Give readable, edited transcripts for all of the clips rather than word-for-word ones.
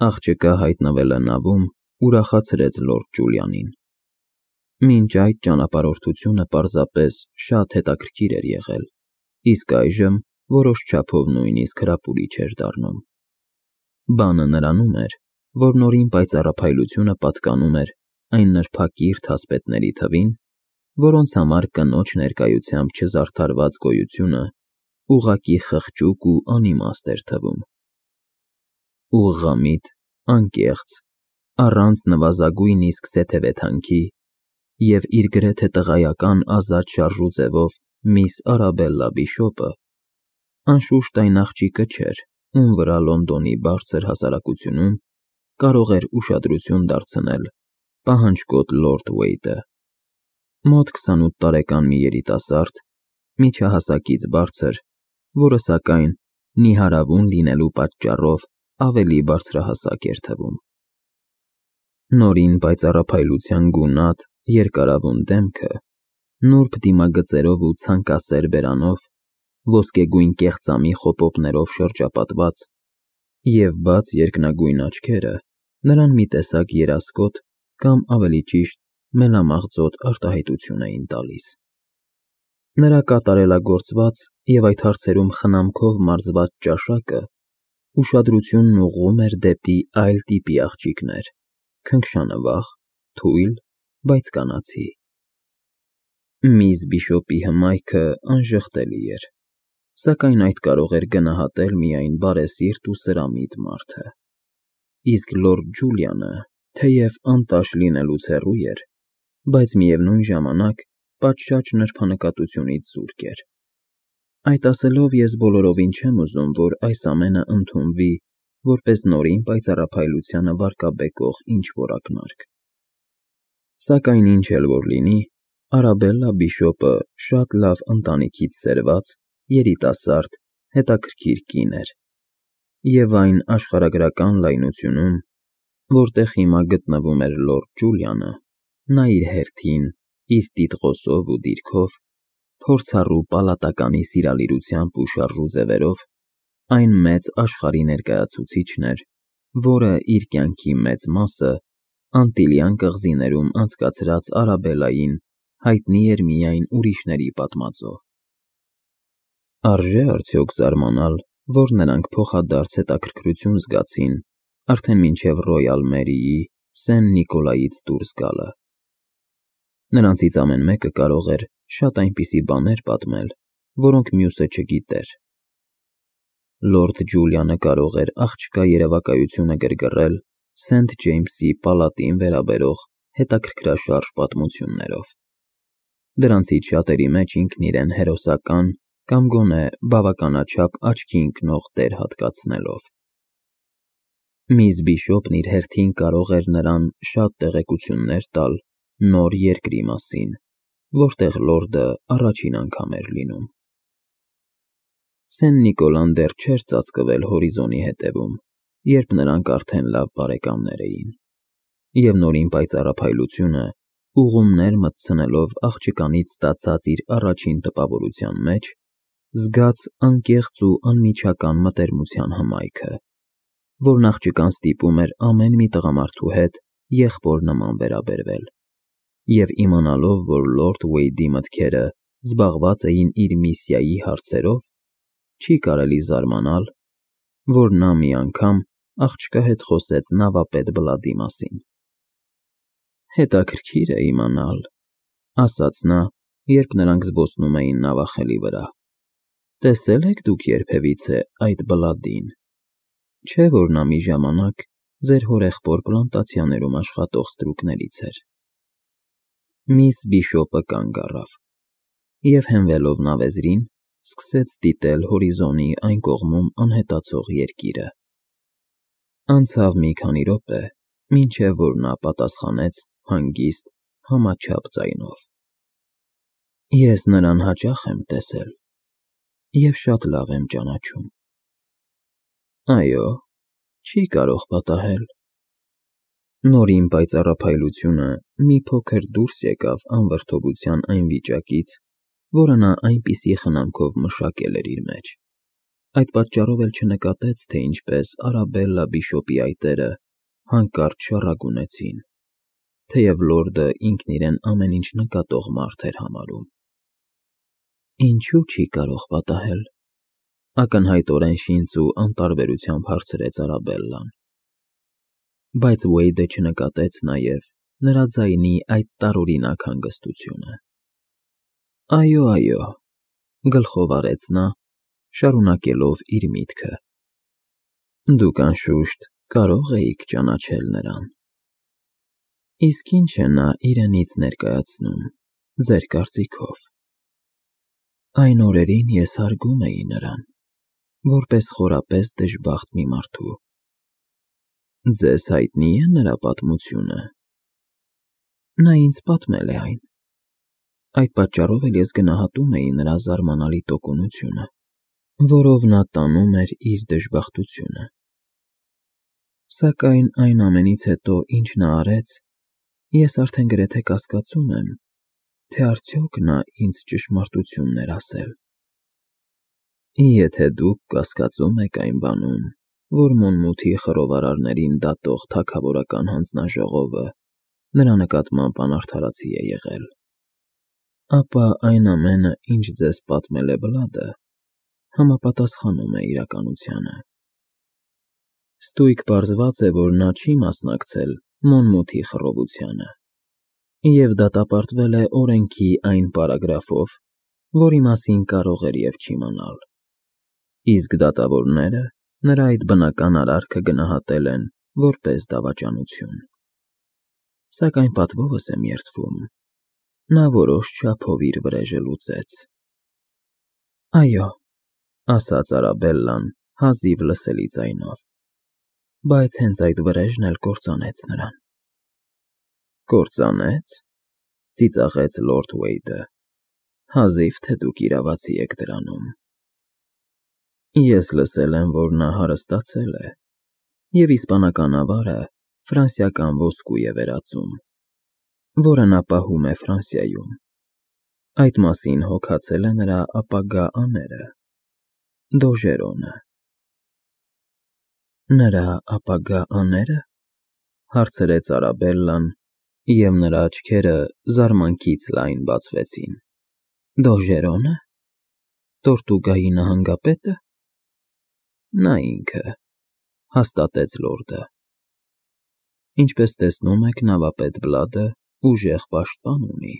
Աղջկա հայտնվելը նավում ուրախացրեց լորդ Ջուլիանին։ Մինչ այդ ճանապարհորդությունը պարզապես շատ հետաքրքիր էր եղել, իսկ այժմ որոշ չափով նույնիսկ հրապուրիչ էր դառնում։ Բանը նրանում էր, որ Նորին պայծառափայլությունը պատկանում էր այն նրբակիրթ ասպետների թվին, որոնց համար կնոջ ներկայությամբ չզարդարված գոյությունը ուղղակի խղճուկ ու անիմաստ էր թվում։ Ուղղամիտ, անկեղծ, առանց նվազագույնիսկ սեթևեթանքի և իր գրեթե տղայական ազատ շարժու ձևով միս Արաբելլա Բիշոպը անշուշտ այն աղջիկը չէր, ում վրա Լոնդոնի բարձր հասարակությունում կարող էր ուշադրություն դարձնել պահանջկոտ լորդ Վեյդը։ Մոտ 28 տարեկան մի երիտասարդ, միջահասակից բարձր, որը սակայն նիհարավուն լինելու պատճառով ավելի բարձրահասակ էր թվում։ Նորին պայծառափայլության գունատ, երկարավուն դեմքը, նուրբ դիմագծերով ու ցանկասեր բերանով, ոսկեգույն կեղծամի խոպոպներով շրջապատված և բաց երկնագույն աչքերը նրան մի տեսակ երասկոտ կամ ավելի ճիշտ մելամաղձոտ արտահայտություն էին տալիս։ Նրա կատարելագործված և այդ հարցերում խնամքով մարզված ճաշակը ուշադրությունն ուղղում էր դեպի այլ տիպի աղջիկներ, քնքշանվախ, թույլ, բայց կանացի։ Միss Բիշոպի հմայքը անժխտելի էր, սակայն այդ կարող էր գնահատել միայն բարեսիրտ ու սրամիտ մարդը, իսկ լորդ Ջուլիանը, թեև անտաշ լինելուց հեռու էր, բայց միևնույն ժամանակ պատշաճ նրբանկատությունից զուրկ էր։ Այդ ասելով ես բոլորովին չեմ ուզում, որ այս ամենը ընդունվի որպես Նորին պայծառափայլությանը վարկաբեկող ինչ-որ ակնարկ։ Սակայն ինչ էլ որ լինի, Արաբելլա Բիշոպը շատ լավ ընտանիքից սերված, երիտասարդ, հետաքրքիր կին էր, և այն աշխարհագրական լայնությունում, որտեղ հիմա գտնվում էր լորդ Ջուլիանը, նա իր հերթին, իր տիտղոսով ու դիրքով, փորձառու պալատականի սիրալիրությամբ ու շարժու ձևերով, այն մեծ աշխարհի ներկայացուցիչն էր, որը իր կյանքի մեծ մասը Անտիլյան կղզիներում անցկացրած Արաբելլային հայտնի էր միայն ուրիշների պատմածով։ Արժե՞ արդյոք զարմանալ, որ նրանք փոխադարձ հետաքրքրություն զգացին արդեն մինչև Ռոյալ Մերիի Սեն Նիկոլայից դուրս գալը։ Նրանցից ամեն մեկը կարող էր շատ այնպիսի բաներ պատմել, որոնք մյուսը չգիտեր։ Լորդ Ջուլիանը կարող էր աղջկա երևակայությունը գրգռել Սենթ Ջեյմսի պալատին վերաբերող հետաքրքրաշարժ պատմություններով։ Դրանցից շատերի մեջ ինքն իրեն հերոսական կամ գոնե բավականաչափ աչքի ընկնող դեր հատկացնելով։ Միss Բիշոպն իր հերթին կարող էր նրան շատ տեղեկություններ տալ նոր երկրի մասին, որտեղ լորդը առաջին անգամ էր լինում։ Սեն Նիկոլան դեռ չէր ծածկվել հորիզոնի հետևում, երբ նրանք արդեն լավ բարեկամներ էին, և Նորին պայծառափայլությունը, ուղումներ մտցնելով աղջկանից ստացած իր առաջին տպավորության մեջ, զգաց անկեղծ ու անմիջական մտերմության հմայքը, որն աղջկան ստիպում էր ամեն մի տղամարդու հետ եղբոր նման վերաբերվել, և իմանալով, որ լորդ Վեյդի մտքերը զբաղված էին իր միսիայի հարցերով, չի կարելի զարմանալ, որ նա մի անգամ աղջկա հետ խոսեց նավապետ Բլադի մասին։ Հետաքրքիր է իմանալ, ասաց նա, երբ նրանք զբոսնում էին նավախելի վրա, տեսե՞լ եք դուք երբևիցե այդ Բլադին, չէ՞ որ նա մի ժամանակ ձեր հորեղբոր պլանտացիաներում աշխատող ստրուկներից էր։ Միss Բիշոպը կանգ առավ և հենվելով նավեզրին, սկսեց դիտել հորիզոնի այն կողմում անհետացող երկիրը։ Անցավ մի քանի րոպե, մինչև որ նա պատասխանեց հանգիստ, համաչափ ձայնով. Ես նրան հաճախ եմ տեսել և շատ լավ եմ ճանաչում։ Այո, չի կարող պատահել։ Նորին պայծառափայլությունը մի փոքր դուրս եկավ անվրդովության այն վիճակից, որը նա այնպիսի խնամքով մշակել էր իր մեջ։ Այդ պատճառով էլ չնկատեց, թե ինչպես Արաբելլա բիշոպի այտերը հանկարծ շառագունեցին, թեև լորդը ինքն իրեն ամեն ինչ նկատող մարդ էր համարում։ Ինչու չի կարող պատահել, ակնհայտորեն շինց ու անտարբերությամբ հարցրեց Արաբելլան։ Բայց Ուեյդը չնկատեց նաև նրա ձայնի այդ տարօրինակ հանգստությունը։ Այո, այո, գլխով արեց նա, շարունակելով իր միտքը։ Դուք անշուշտ կարող էիք ճանաչել նրան։ Իսկ ինչ է նա իրենից ներկայացնում, ձեր կարծիքով։ Այն օրերին ես հարգում էի նրան, որպես խորապես դժբախտ մի մարդու։ Ձեզ հայտնի է նրա պատմությունը։ Նա ինձ պատմել է այն։ Այդ պատճառով էլ ես գնահատում էի նրա զարմանալի տոկունությունը, որով նա տանում էր իր դժբախտությունը։ Սակայն այն ամենից հետո, ինչ նա արեց, ես արդեն գրեթե կասկածում եմ, թե արդյոք նա ինձ ճշմարտությունն էր ասել։ Եթե դուք կասկածում եք այն բանում, որ Մոնմութի խռովարարներին դատող թագավորական հանձնաժողովը նրա նկատմամբ անարդարացի է եղել, ապա այն ամենը, ինչ ձեզ պատմել է Բլադը, համապատասխանում է իրականությանը։ Ստույգ պարզված է, որ նա չի մասնակցել Մոնմութի խռովությանը, և դատապարտվել է օրենքի այն պարագրաֆով, որի մասին կարող էր և չիմանալ։ Իսկ դատավորները նրա այդ բնական արարքը գնահատել են որպես դավաճանություն։ Սակայն պատվովս եմ երդվում, նա որոշ չափով իր վրեժը լուծեց։ Այո, ասաց Արաբելլան հազիվ լսելի ձայնով, բայց հենց այդ վրեժն էլ կործանեց նրան։ Կործանեց, ծիծաղեց լորդ Ուեյդը, հազիվ թե դուք իրավացի եք դրանում։ Ես լսել եմ, որ նա հարստացել է, և իսպանական ավարը ֆրանսիական ոսկու է վերածում, որը նա պահում է Ֆրանսիայում։ Այդ մասին հոգացել է նրա ապագա աները՝ Դոժերոնը։ Նրա ապագա աները, հարցրեց Արաբելլան, և նրա աչքերը զարմանքից լայն բացվեցին։ Դոժերոնը, Տորտուգայի նահանգապետը։ Նա ինքը, հաստատեց լորդը։ Ինչպես տեսնում եք, նավապետ Բլադը ուժեղ պաշտպան ունի։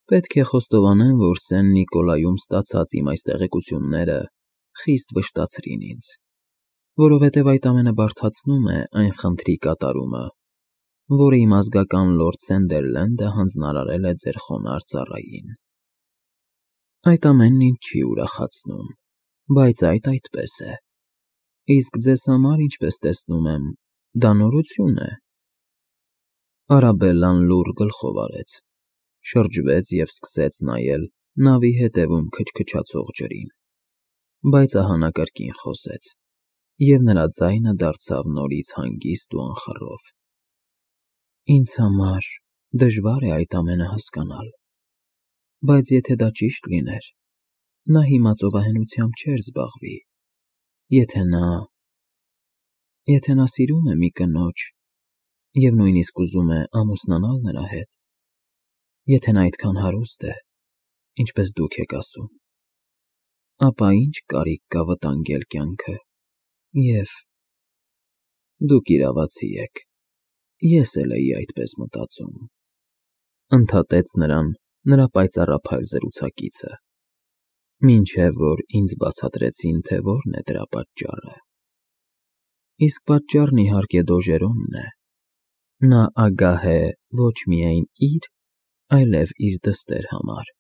Պետք է խոստովանեմ, որ Սեն Նիկոլայում ստացած իմ այս տեղեկությունները խիստ վշտացրին ինձ, որովհետև այդ ամենը բարդացնում է այն խնդրի կատարումը, որը իմ ազգական լորդ Սանդերլենդը հանձնարարել է ձեր խոնարհ ծառային։ Այդ ամենն ինձ չի ուրախացնում, բայց այդպես է։ Իսկ ձեզ համար, ինչպես տեսնում եմ, դա նորություն է։ Արաբելլան լուռ գլխով արեց, շրջվեց և սկսեց նայել նավի հետևում քչքչացող ջրին, բայց ահա նա կրկին խոսեց, և նրա ձայնը դարձավ նորից հանգիստ ու անխռով։ Ինձ համար դժվար է այդ ամենը հասկանալ, բայց եթե դա ճիշտ լիներ, նա հիմա ծովահենությամբ չէր զբաղվի։ Եթե նա սիրում է մի կնոջ և նույնիսկ ուզում է ամուսնանալ նրա հետ, եթե նա այդքան հարուստ է, ինչպես դուք եք ասում, ապա ինչ կարիք կա վտանգել կյանքը, և… Դուք իրավացի եք, ես էլ էի այդպես մտածում, ընդհատեց նրան նրա պայծառափայլ զրուցակիցը, մինչև որ ինձ բացատրեցին, թե որն է դրա պատճառը։ Իսկ պատճառն իհարկե Դոժերոնն է։ Նա ագահ է ոչ միայն իր, այլև իր դստեր համար։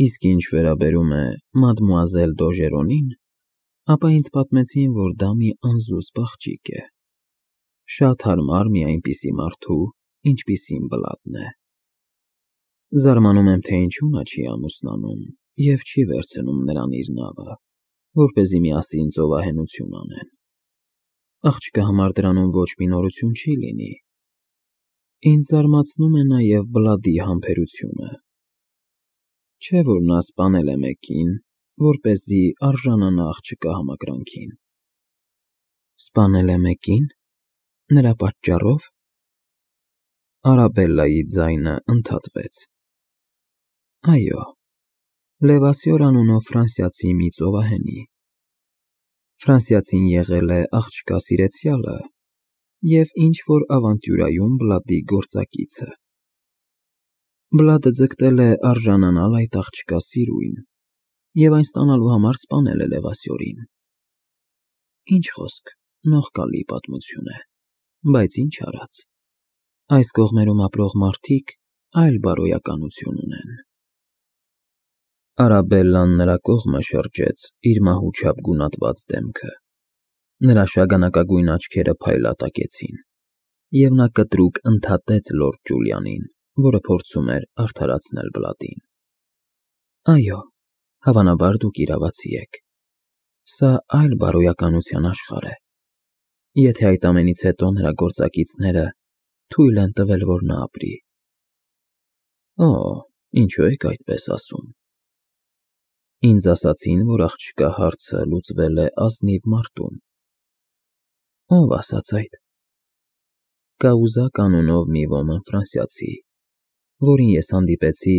Իսկ ինչ վերաբերում է մադմուազել Դոժերոնին, ապա ինձ պատմեցին, որ դա մի անզուսպ աղջիկ է, շատ հարմար մի այնպիսի մարդու, ինչպիսին Բլադն է։ Զարմանում եմ, թե ինչու նա չի ամուսնանում և չի վերցնում նրան իր նավը, որպեսզի միասին ծովահենություն անեն։ Աղջկա համար դրանում ոչ մի նորություն չի լինի։ Ինձ զարմացնում է նաև Բլադի համբերությունը։ Չէ՞ որ նա սպանել է մեկին, որպեսզի արժանանա աղջկա համակրանքին։ Սպանել է մեկին, նրա պատճառով։ Արաբելլայի ձայնը ընդհատվեց։ Այո, Լևասյոր անունով ֆրանսիացի մի ծովահենի։ Ֆրանսիացին եղել է աղջկա սիրեցյալը և ինչ-որ ավանտյուրայում Բլադի գործակիցը։ Բլադը ձգտել է արժանանալ այդ աղջկա սիրույն և այն ստանալու համար սպանել է Լևասյորին։ Ինչ խոսք, նողկալի պատմություն է, բայց ինչ արած, այս կողմերում ապրող մարդիկ այլ բարոյականություն ունեն։ Արաբելլան նրա կողմը շրջեց իր մահուչափ գունատված դեմքը։ Նրա շագանակագույն աչքերը փայլատակեցին, և նա կտրուկ ընդհատեց լորդ Ջուլիանին, որը փորձում էր արդարացնել Բլադին։ Այո, հավանաբար դուք իրավացի եք։ Սա այլ բարոյականության աշխարհ է։ Եթե այդ ամենից հետո նրա գործակիցները թույլ են տվել, որ նա ապրի։ Օ, ինչու եք այդպես ասում։ Ինձ ասացին, որ աղջկա հարցը լուծվել է ազնիվ մարտում։ Ո՞վ ասաց այդ։ Կաուզակ անունով մի ոմն ֆրանսիացի, որին ես հանդիպեցի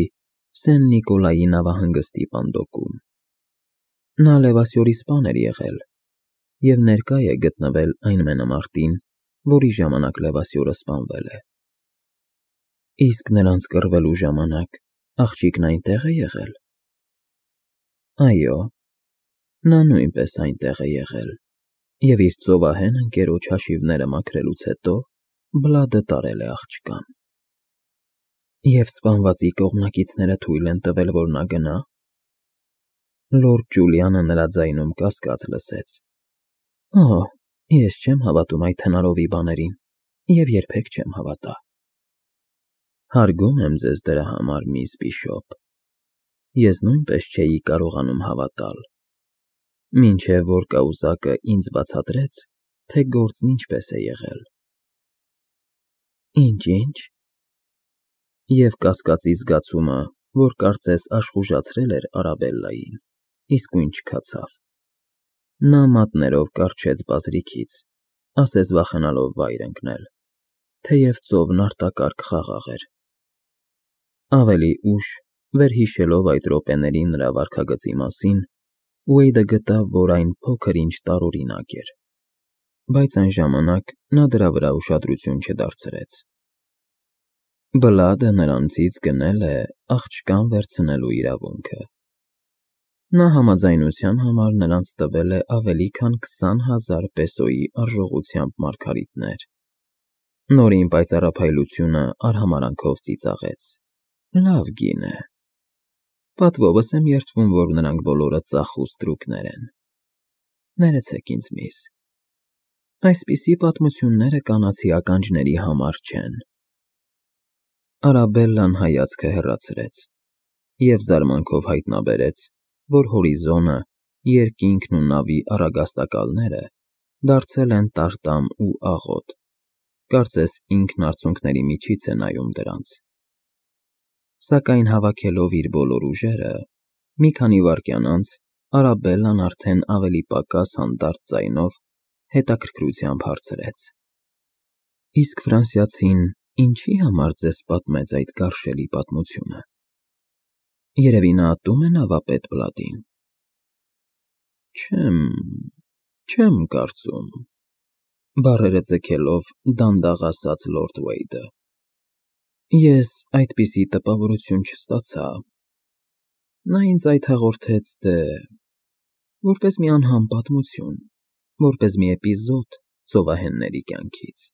Սեն Նիկոլայի նավահանգստի պանդոկում։ Նա Լևասյորի սպան էր եղել և ներկա է գտնվել այն մենամարտին, որի ժամանակ Լևասյորը սպանվել է։ Իսկ նրանց կռվելու ժամանակ աղջիկն այնտեղ է եղել։ Այո, նա նույնպես այնտեղ է եղել և իր ծովահեն ընկերոջ հաշիվները մաքրելուց հետո Բլադը տարել է աղջկան։ Եվ սպանվածի կողմնակիցները թույլ են տվել, որ նա գնա։ Լորդ Ջուլիանը նրա ձայնում կասկած լսեց։ Օ, ես չեմ հավատում այդ հնարովի բաներին և երբեք չեմ հավատա։ Հարգում եմ ձեզ դրա համար, միս Բիշոպ։ Ես նույնպես չէի կարողանում հավատալ, մինչև որ կաուզակը ինձ բացատրեց, թե գործն ինչպես է եղել։ Ինչ։ Եվ կասկածի զգացումը, որ կարծես աշխուժացրել էր Արաբելլային, իսկույն չքացավ։ Նա մատներով կառչեց բազրիքից, ասես վախենալով վայր ընկնել, թեև ծովն արտակարգ խաղաղ էր։ Ավելի ուշ, վերհիշելով այդ րոպեների նրա վարքագծի մասին, Ուեյդը գտավ, որ այն փոքր-ինչ տարօրինակ էր, բայց այն ժամանակ նա դրա վրա ուշադրություն չդարձրեց։ Բլադը նրանցից գնել է աղջկան վերցնելու իրավունքը։ Նա համաձայնության համար նրանց տվել է ավելի քան 20,000 պեսոյի արժողությամբ մարգարիտներ։ Նորին պայծառափայլությունը արհամարհանքով ծիծաղեց։ Լավ գին է։ Պատվովս եմ երդվում, որ նրանք բոլորը ծախու ստրուկներ են։ Ներեցեք ինձ, միս։ Այսպիսի պատմությունները կանացի ականջների համար չեն։ Արաբելլան հայացքը հեռացրեց և զարմանքով հայտնաբերեց, որ հորիզոնը, երկինքն ու նավի առագաստակալները դարձել են տարտամ ու աղոտ, կարծես ինքն արցունքների միջից է նայում դրանց։ Սակայն հավաքելով իր բոլոր ուժերը, մի քանի վայրկյան անց Արաբելլան արդեն ավելի պակաս հանդարտ ձայնով հետաքրքրությամբ հարցրեց. Իսկ ֆրանսիացին ինչի համար ձեզ պատմեց այդ գարշելի պատմությունը։ Երևի նա ատում է նավապետ Բլադին։ Չեմ կարծում, բառերը ձգելով դանդաղ ասաց լորդ Ուեյդը։ Ես այդպիսի տպավորություն չստացա։ Նա ինձ այդ հաղորդեց, որպես մի անհամ պատմություն, որպես մի էպիզոդ ծովահենների կյանքից։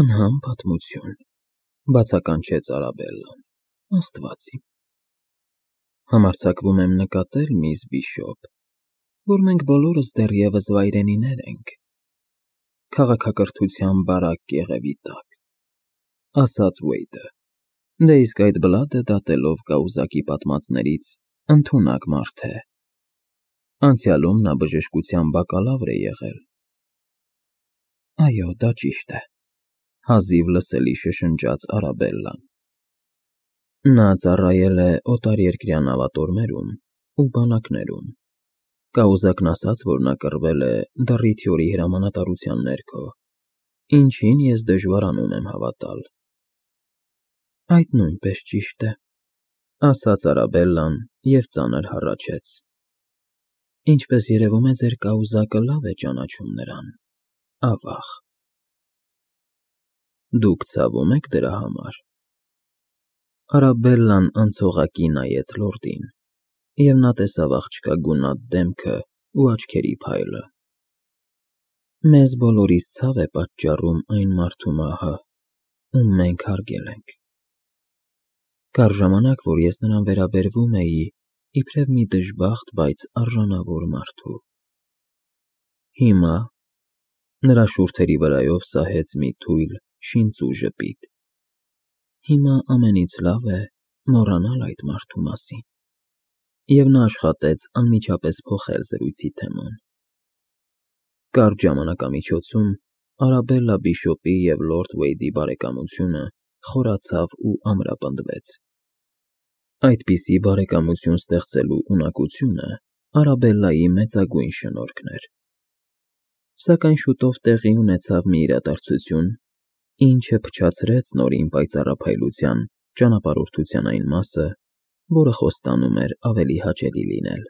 Անհամ պատմություն, բացականչեց Արաբելլան, Աստված իմ։ Համարձակվում եմ նկատել, միս Բիշոպ, որ մենք բոլորս դեռևս վայրենիներ ենք, քաղաքակրթության բարակ կեղևի տակ, ասաց Ուեյդը։ Դե իսկ այդ Բլադը դատելով կաուզակի պատմածներից ընդունակ մարդ է։ Անցյալում նա բժշկության բակալավր է եղել։ Այո, դա ճիշտ է, հազիվ լսելի շշնջաց Արաբելլան։ Նա ծառայել է օտարերկրյա նավատորմերում ու բանակներում։ Կաուզակն ասաց, որ նա կռվել է Դառիթյորի հրամանատարության ներքո, ինչին ես դժվարանում եմ հավատալ։ Այդ նույնպես ճիշտ է, ասաց Արաբելլան և ծանր հառաչեց։ Ինչպես երևում է, ձեր կաուզակը լավ է ճանաչում նրան, ավաղ։ Դուք ցավում եք դրա համար։ Արաբելլան անցողակի նայեց լորդին, և նա տեսավ աղջկա գունատ դեմքը ու աչքերի փայլը։ Մեզ բոլորիս ցավ է պատճառում այն մարդու մահը, ում մենք հարգել ենք։ Կար ժամանակ, որ ես նրան վերաբերվում էի իբրև մի դժբախտ, բայց արժանավոր մարդու։ Հիմա նրա շուրթերի վրայով սահեց մի թույլ, շինծու ժպիտ։ Հիմա ամենից լավ է մոռանալ այդ մարդու մասին։ Եվ նա աշխատեց անմիջապես փոխել զրույցի թեման։ Կարճ ժամանակամիջոցում Արաբելլա Բիշոպի և լորդ Վեյդի բարեկամությունը խորացավ ու ամրապնդվեց։ Այդպիսի բարեկամություն ստեղծելու ունակությունը Արաբելլայի մեծագույն շնորհքն էր։ Սակայն շուտով տեղի ունեցավ մի իրադարձություն, ինչը փչացրեց Նորին պայծառափայլության ճանապարհորդության այն մասը, որը խոստանում էր ավելի հաճելի լինել։